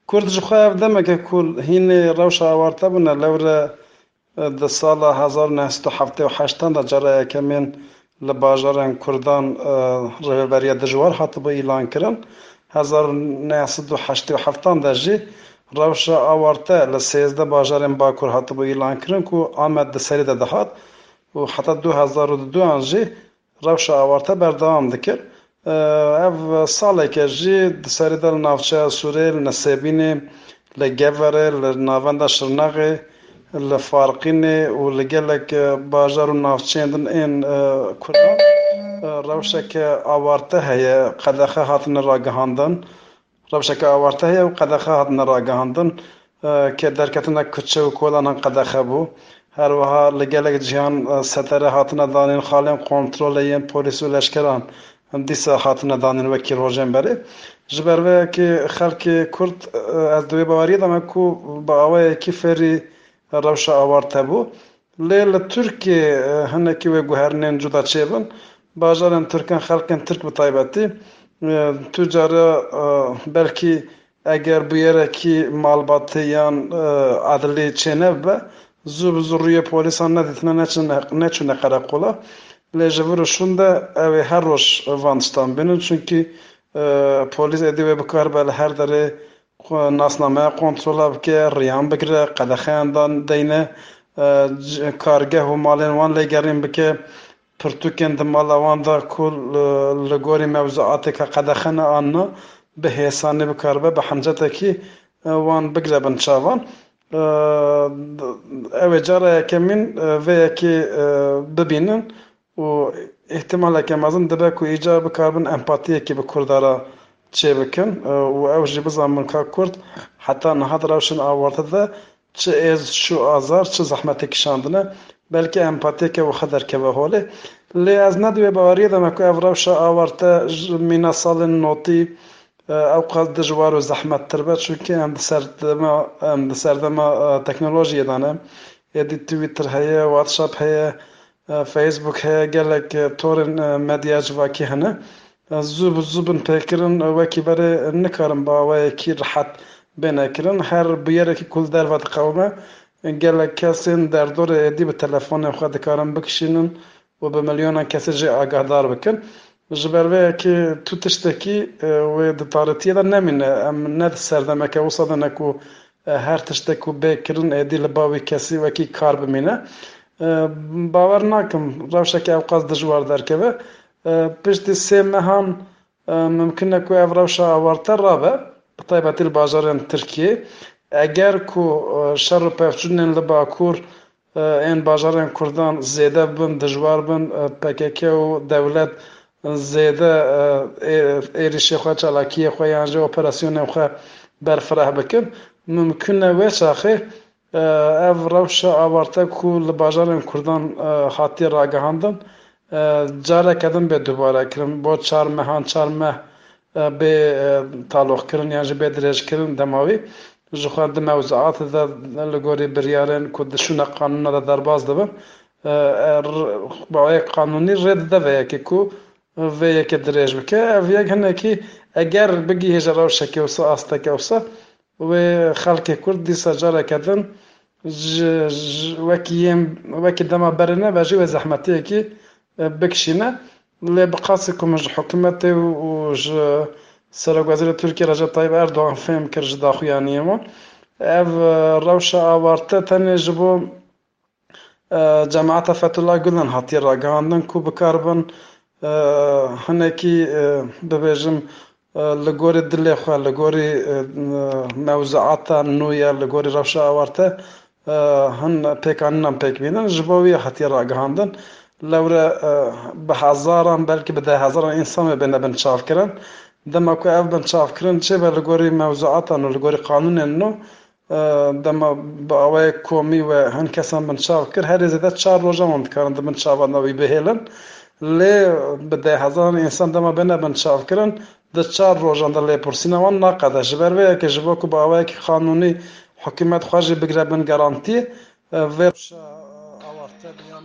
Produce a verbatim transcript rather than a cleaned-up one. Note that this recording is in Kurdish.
Kurd ji xwe ev demeke ku hînê rewşa awarte bûne, lewre, e, di sala hezar û neh sed û heftê û heştan de cara yekemîn li bajarên Kurdan, e, rêveberiya dijwar hatibû îlankirin. Hezar û neh sed û heştê û heftan de jî rewşa awarte li sêzdeh bajarên Bakur hatibû îlankirin ku Amed di serî de dihat û heta du hezar û duduyan jî rewşa awarte berdewam dikir. Ev saleke jî di serî de li navçeya Sûrê, li Nesêbînê, li Geverê, li navenda Şirnexê, li Farqînê û li gelek bajar û navçeyên din ên, e, Kurdan, e, rewşeke awarte heye, qedexe hatine ragihandin. Rewşeke awarte heye û qedexe hatine ragihandin, e, ke derketina kuçe û kolanan qedexe bû. Her wiha li gelek cihan, e, setere hatine danîn, xalên kontrolê yên polîs û leşkeran dîsa hatine danîn wekî rojên berê. Ji ber vê yekê xelkê Kurd, e, ez di wê baweriyê de me ku bi awayekî fêrî rewşa awarte bû. Lê li Tirkiyê, e, hinekî wê guherinên cuda çêbin. Bajarên Tirkan, xelkên Tirk bi taybetî, e, tu cara, e, belkî eger bûyerekî malbatî yan, e, edilî çênebe, zû bi zû rûyê polîsan nedîtine, neçine, neçûne qereqola. Lê ji vir û şûn de ew ê her roj van tiştan bînin, çunkî, e, polîs êdî wê bikaribe li her derê xwe nasnameya kontrola bike, riyan bigire, qedexeyan dan deyne, e, c-, kargeh û malên wan lêgerîn bike, pirtûkên di mala wan de ku li, li gorî mewzuateke qedexe ne an na, bi hêsanî bikaribe, bi hemcetekî, e, wan bigire bin çavan. E, d-, ew ê cara yekemîn, e, vê yekê, e, bibînin. û îhtimaleke mezin dibe ku îcar bikaribin empatiyekî bi Kurda re çêbikin, e, û ew jî bizanibin ka Kurd heta niha di rewşên awarte de çi êz, çi azar, çi zehmetê kişandine, belkî empatiyeke wiha derkeve holê. Lê ez ne di wê baweriyê de me ku ev rewşa awarte ji mîna salên notî, e, ew qas dijwar û zehmettir be, çunkî em di serdema, em di serdema, e, teknolojiyê de ne. Êdî Twitter heye, WhatsApp heye, e, Facebook heye, gelek, e, torên, e, medya civakî hene. E, zû bi zû bin pêkirin, e, wekî berê nikarin bi awayekî rihet bêne kirin. Her bûyerekî ku li derve diqewime, e, gelek kesên derdorê êdî bi telefonên xwe dikarin bikişînin û bi milyonan kesê jê agahdar bikin. Ji ber vê yekê tu tiştekî, e, wê di tarîtiyê de nemîne. Em ne di serdemeke wisa de ne ku e, her tiştek ku bê kirin êdî li ba wî kesî wekî kar bimîne. E, bawer nakim rewşeke ew qas dijwar derkeve. E, piştî sê mehan, e, mimkin e ku ev rewşa awarte rabe, bi taybetî li bajarên Tirkiyê. Eger ku, e, şer û pevçûnên li Bakur, e, ên bajarên Kurdan zêde bin, dijwar bin, e, P K K û dewlet zêde, e, ê-, êrişê xwe, çalakiyê xwe yan jî operasyonên xwe berfireh bikin. Mimkun e wê çaxê, e, ev rewşa awarte ku li bajarên Kurdan, e, hatiye ragihandin, e, careke din bê dubare kirin. Bo çar mehan, çar meh, e, bê, e, taloqkirin yan jî bê dirêjkirin dema wî. Ji xwe di mewzuatê de li gorî biryarên ku di şûna qanûna de derbas dibin, e, e, r-, bi awayek qanûnî rê dide vê yekê ku vê yekê dirêj bike. Ev yek hinekî eger bigihêje rewşeke wisa, asteke wisa, wê xelkê Kurd dîsa careke din ji, ji, wekî yên, wekî dema berê nebe jî wê zehmetiyekî, e, bikişîne. Lê bi qasî ku min ji hikûmetê û, û ji Serokwezîrê Tirkiyê Recep Tayyip Erdogan fêm kir ji daxuyaniyê wan. Ev, e, rewşa awarte tenê ji bo, e, cemaeta Fethullah Gulen hatiye ragihandin ku bikaribin, e, hinekî, e, bibêjim, e, li gorî dilê xwe, li gorî, e, mewzuata nû ya, li gorî rewşa awarte, e, hin pêkanînan pêk bînin. Ji bo wî hatiye ragihandin. Lewre, e, bi hezaran, belkî bi deh hezaran însan wê bêne binçavkirin. Dema ku ev binçavkirin çêbe li gorî mewzuatan û li gorî qanûnên nû, e, dema bi awayek komî we hin kesan binçav kir, herê zêde çar rojan wan dikarin di bin çavan de wî bihêlin. Lê bi deh hezaran însan dema bêne binçavkirin, di çar rojan de lêpirsîna wan naqede. Ji ber vê yekê ji bo ku bi awayekî qanûnî hikûmet xwe jî bigire bin garantî, e, vê rewşa awarte bûye.